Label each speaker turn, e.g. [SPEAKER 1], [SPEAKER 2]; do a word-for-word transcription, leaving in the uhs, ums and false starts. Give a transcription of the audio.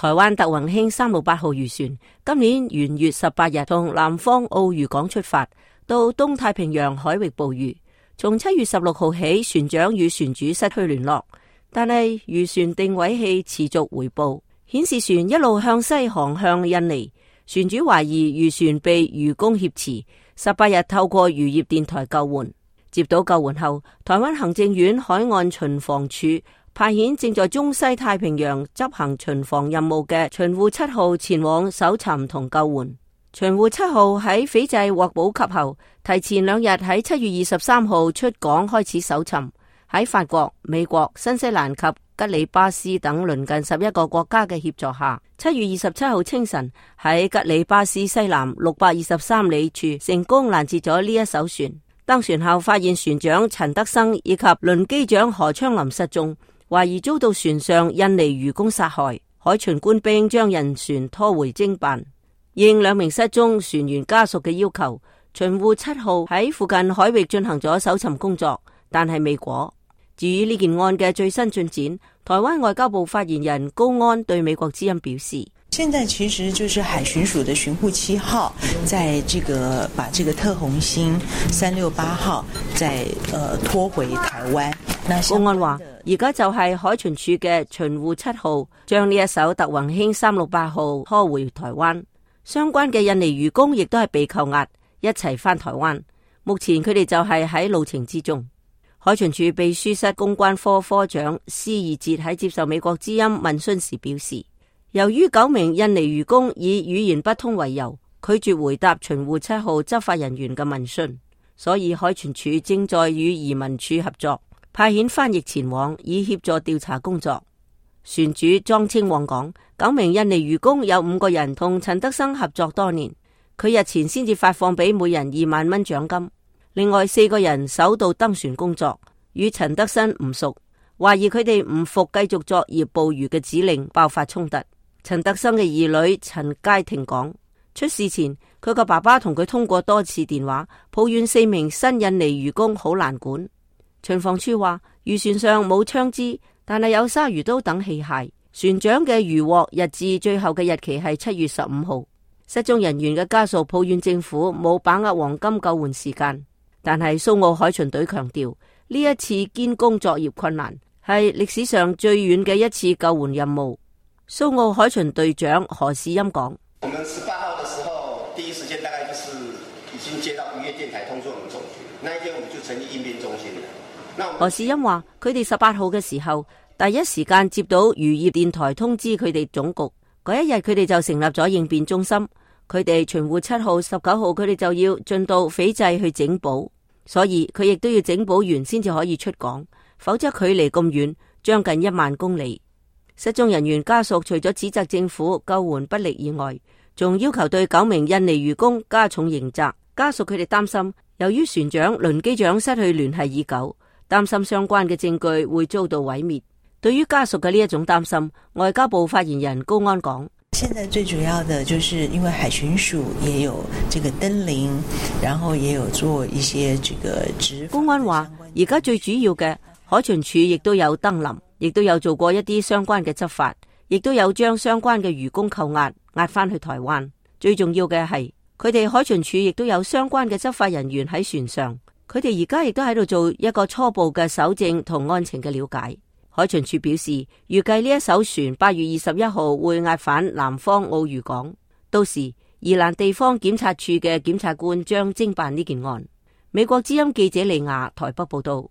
[SPEAKER 1] 台灣德宏興三六八號漁船今年元月十八日從南方澳漁港出發，到東太平洋海域捕魚。從七月十六號起，船長與船主失去聯絡，但係漁船定位器持續回報，顯示船一路向西航向印尼。船主懷疑漁船被漁工挾持，十八日透過漁業電台救援。接到救援後，台灣行政院海岸巡防處派遣正在中西太平洋執行巡防任務嘅巡護七號前往搜尋同救援。巡護七號喺斐濟獲補給後，提前兩日喺七月二十三號出港開始搜尋。喺法國、美國、新西蘭及吉里巴斯等鄰近十一個國家嘅協助下，七月二十七號清晨喺吉里巴斯西南六百二十三里處成功攔截咗呢一艘船。登船後發現船長陳德生以及輪機長何昌林失蹤，懷疑遭到船上印尼漁工殺害，海巡官兵將人船拖回偵辦。應兩名失蹤船員家屬嘅要求，巡護七號喺附近海域進行咗搜尋工作，但係未果。至於呢件案嘅最新進展，台灣外交部發言人高安對美國之音表示，
[SPEAKER 2] 現在其實就是海巡署的巡護七號，在這個把這個特宏興三六八號再呃拖回台灣。
[SPEAKER 1] 高安話，而家就係海巡署嘅巡護七號將呢一艘特宏興三六八號拖回台灣，相關嘅印尼漁工亦都係被扣押，一齊返台灣。目前佢哋就係喺路程之中。海巡署秘書室公關科科長施義哲喺接受美國之音問詢時表示，由於九名印尼漁工以語言不通為由，拒絕回答巡護七號執法人員嘅問訊，所以海巡署正在與移民署合作，派遣翻譯前往以協助調查工作。船主莊清旺講，九名印尼漁工有五個人同陳德生合作多年，佢日前先至發放俾每人二萬蚊獎金。另外四個人首度登船工作，與陳德生唔熟，懷疑佢哋唔服繼續作業捕魚嘅指令，爆發衝突。陳德生嘅兒女陳佳婷講，出事前佢個爸爸同佢通過多次電話，抱怨四名新印尼漁工好難管。巡防處話，漁船上冇槍支，但係有鯊魚刀等器械。船長嘅漁獲日誌最後嘅日期係七月十五號。失蹤人員嘅家屬抱怨政府冇把握黃金救援時間。但係蘇澳海巡隊強調，呢一次堅工作業困難，係歷史上最遠嘅一次救援任務。蘇澳海巡隊長何士欽講：
[SPEAKER 3] 我們十八號的時候，第一時間大概就是已經接到漁業電台通知我們總局，那一天我們就成立應變中心了。
[SPEAKER 1] 何士欽話：佢哋十八號嘅時候，第一時間接到漁業電台通知佢哋總局，嗰一日佢哋就成立咗應變中心。佢哋巡護七號、十九號，佢哋就要進到斐濟去整補。所以佢亦都要整補完先至可以出港，否則距離咁遠，將近一萬公里。失蹤人員家屬除咗指責政府救援不力以外，仲要求對九名印尼漁工加重刑責。家屬佢哋擔心，由於船長、輪機長失去聯繫已久，擔心相關嘅證據會遭到毀滅。對於家屬嘅呢一種擔心，外交部發言人高安講：
[SPEAKER 2] 現在最主要的就是因為海巡署也有這個登臨，然後也有做一些這個執法。
[SPEAKER 1] 公安話，而家最主要嘅海巡署亦都有登臨，亦都有做過一啲相關嘅執法，亦都有將相關嘅漁工扣押押翻去台灣。最重要嘅係，佢哋海巡署亦都有相關嘅執法人員喺船上，佢哋而家亦都喺度做一個初步嘅搜證同案情嘅了解。海巡署表示，預計呢一艘船八月二十一號會押返南方澳漁港，到時宜蘭地方檢察處嘅檢察官將偵辦呢件案。美國之音記者李亞台北報道。